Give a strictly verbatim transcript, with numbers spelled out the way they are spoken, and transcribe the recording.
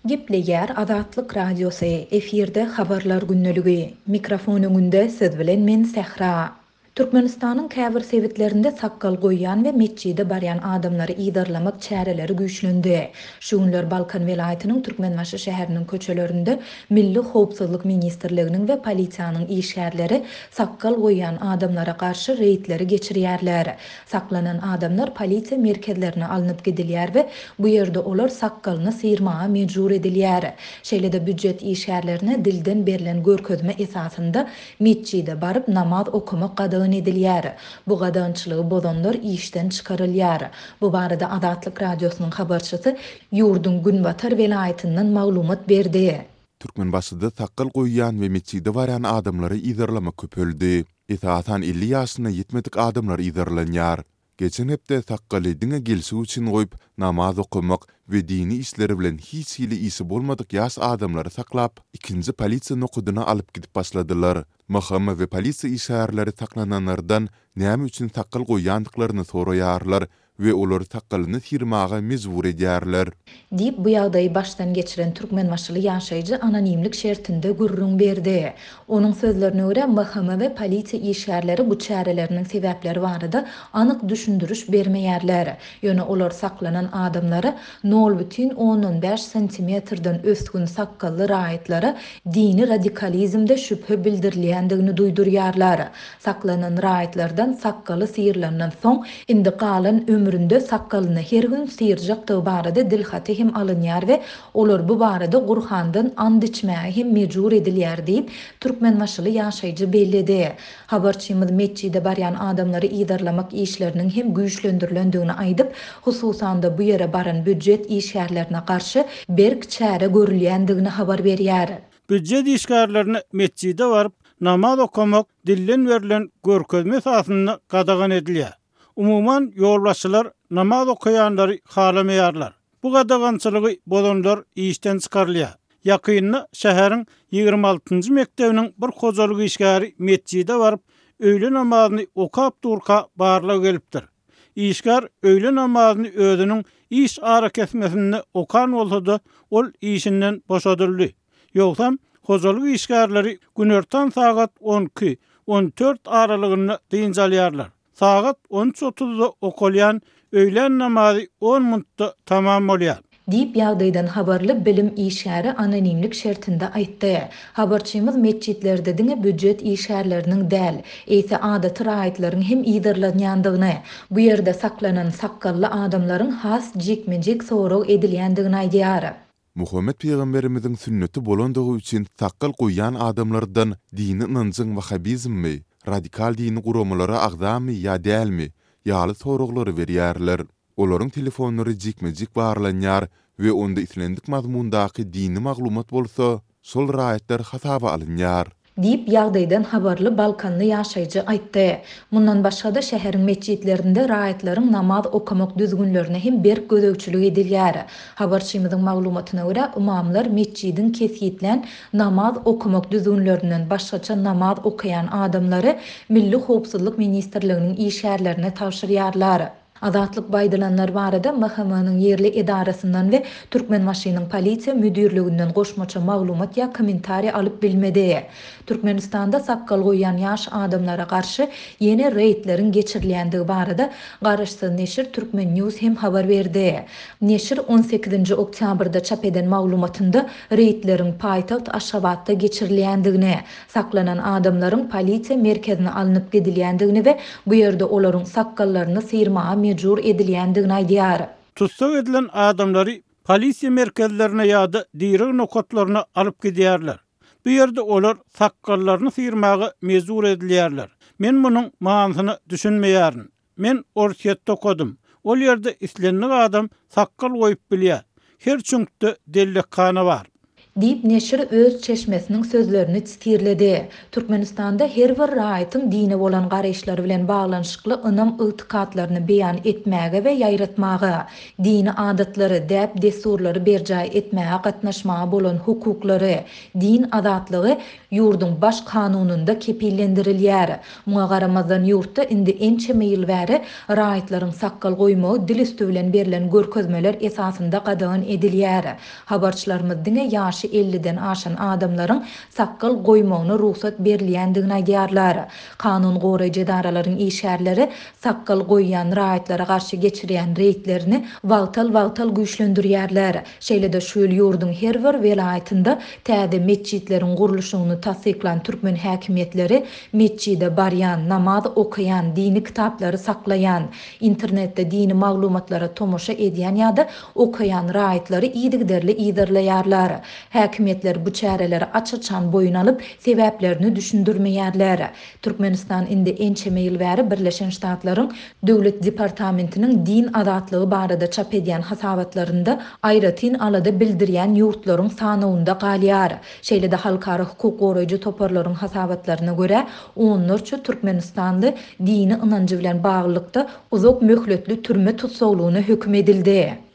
Gepleýär Azatlyk Radiosy, efirde Habarlar gündeligi. Mikrofon öňünde siz bilen men Sähra. Türkmenistanyň käbir sebitlerinde sakgal goýýan we metjide barýan adamlary yzarlamak çäreleri güýçlendi. Şu günler Balkan welaýatynyň Türkmenbaşy şäheriniň köçelerinde Milli howpsuzlyk ministrliginiň we polisiýanyň işgärleri sakgal goýýan adamlara garşy reýdleri geçirýärler. Saklanan adamlar polisiýa merkezlerine alnyp gidilýär we bu ýerde olar sakgalyny syrmaga mejbur edilýär. Şeýle-de býujet işgärlerine dilden berlen görkezme esasynda metjide baryp namaz okamak gadagan edilýär. Bu gadagançylygy bozanlar işden çykarylýar. Bu barada Azatlyk Radiosynyň habarçysy ýurduň Günbatar welaýatyndan maglumat berdi. Türkmenbaşyda sakgal goýýan we metjide barýan adamlary yzarlamak köpeldi. Esasan elli ýaşyna ýetmedik adamlar yzarlanýar. Geçen hepde sakgaly diňe gelşik üçin goýup, namaz okamak we dini işleri bilen hiç hili işi bolmadyk ýaş adamlary saklap, ikinji polisiýa nokadyna alyp gidip başladylar. M H M we polisiýa işgärleri saklananlardan näme üçin sakgal goýýandyklaryny soraýarlar we olary sakgalyny syrmaga mejbur edýärler. Diýip, bu ýagdaýy başdan geçiren türkmenbaşyly ýaşaýjy anonimlik şertinde gürrüň berdi. Onuň sözlerine görä, M H M we polisiýa işgärleri bu çäreleriniň sebäpleri barada anyk düşündiriş bermeýärler. Ýöne olar saklanan adamlara nol bütin ondan bäş santimetrden ösgün sakgally raýatlara dini radikalizmde şübhe bildirilýändigini duýdurýarlar. Saklanan raýatlardan sakgaly syrylandan soň, indi galan ömründe sakgalyny her gün syrjakdygy barada dilhaty hem alynýar we olar bu barada Gurhandan and içmäge hem mejbur edilýär diýip, türkmenbaşyly ýaşaýjy belledi. Habarçymyz metjide barýan adamlary yzarlamak işleriniň hem güýçlendirilendigini aýdyp, hususan-da bu ýere baran býujet işgärlerine garşy berk çäre görülýändigini habar berýär. Býujet işgärlerine metjide baryp namaz okamak dilden berlen görkezme esasynda gadagan edilýär. Umuman ýolbaşçylar namaz okaýanlary halamaýarlar. Bu gadagançylygy bozanlar işden çykarylýar. Ýakynda şäheriň ýigrimi altynjy mekdebiniň bir hojalyk işgäri metjide baryp öýle namazyny okap durka barlag gelipdir. Işgär öýle namazyny özüniň iş arakesmesinde okan bolsa-da, ol işinden boşadyldy. Ýogsam hojalyk işgärleri günortan sagat on iki, on dört aralygynda dynç alýarlar. Sagat on üç otuzda okalýan öýlän namazy on minutda tamam bolýar. Diýip, ýagdaýdan habarly bilim işgäri anonimlik şertinde aýtdy. Habarçymyz metjitlerde diňe býujet işgärleriniň däl, eýse adaty raýatlaryň hem yzarlanýandygyny, bu ýerde saklanan sakgally adamlaryň has jikme-jik sorag edilýändigini aýdýar. Muhammet pygamberimiziň sünneti bolandygy üçin sakgal goýýan adamlardan dini ynanjyň wahhabizmmi, radikal dini guramalara agzamy ýa dälmi ýaly soraglary berýärler. Olaryň telefonlary jikme-jik barlanýar we onda islendik mazmundaky dini maglumat bolsa, şol raýatlar hasaba alynýar. Diýip, ýagdaýdan habarly balkanly ýaşaýjy aýtdy. Mundan başga-da şäheriň metjitlerinde raýatlaryň namaz okamak düzgünlerine hem berk gözegçilik edilýär. Habarçymyzyň maglumatyna görä, ymamlar metjidiň kesgitlän namaz okamak düzgünlerinden başgaça namaz okaýan adamlary Milli howpsuzlyk ministrliginiň işgärlerine tabşyrýarlar. Azatlyk bu aýdylanlar barada M H M-niň ýerli edarasyndan we Türkmenbaşynyň polisiýa müdirliginden goşmaça maglumat ýa kommentariý alyp bilmedi. Türkmenistanda sakgal goýýan ýaş adamlara garşy ýene reýdleriň geçirilýändigi barada garaşsyz neşir Turkmen News hem habar berdi. Neşir on sekizinji oktýabrda çap eden maglumatynda reýdleriň paýtagt Aşgabatda geçirilýändigini, saklanan adamlaryň polisiýa merkezine alnyp gidilýändigini we bu ýerde olaryň sakgallaryny syrmaga mejbur edilýändigini aýdýar. Tussag edilen adamlary polisiýa merkezlerine ýa-da direg nokatlaryna alyp gidýärler. Bu ýerde olar sakgallaryny syrmaga mejbur edilýärler. Men munuň manysyna düşünmeýärin. Men Orsýetde okadym. Ol ýerde islendik adam sakgal goýup bilýär. Her çüňkde dellekhana bar. Diýip, neşir öz çeşmesiniň sözlerini sitirledi. Türkmenistanda her bir raýatyň dine bolan garaýyşlary bilen baglanyşykly ynam-ygtykatlaryny beýan etmäge we ýaýratmaga, dini adatlary, däp-dessurlary berjaý etmäge gatnaşmaga bolan hukuklary, din azatlygy ýurduň Baş kanunynda kepillendirilýär. Muňa garamazdan, ýurtda indi ençeme ýyl bäri raýatlaryň sakgal goýmagy dil üsti bilen berlen görkezmeler esasynda gadagan edilýär. Habarçylarymyz diňe ýaşy elliden aşan adamlaryň sakgal goýmagyna rugsat berilýändigini aýdýarlar. Kanun goraýjy edaralaryň işgärleri sakgal goýýan raýatlara garşy geçirýän reýdlerini wagtal-wagtal güýçlendirýärler. Şeýle-de şu ýyl ýurduň her bir welaýatynda täze metjitleriň gurluşygyny tassyklan türkmen häkimiýetleri metjide barýan, namaz okaýan, dini kitaplary saklaýan, internetde dini maglumatlara tomaşa edýän ýa-da okaýan raýatlary yzygiderli yzarlaýarlar. Häkimiýetler bu çäreleri aç-açan boýun alyp, sebäplerini düşündirmeýärler. Türkmenistan indi ençeme ýyl bäri Birleşen Ştatlaryň Döwlet departamentiniň din azatlygy barada çap edýän hasabatlarynda aýratyn alada bildirýän ýurtlaryň sanawynda galýar. Şeýle-de halkara hukuk goraýjy toparlaryň hasabatlaryna görä, onlarça türkmenistanly dini ynanjy bilen baglylykda uzak möhletli türme tussaglygyna höküm edildi.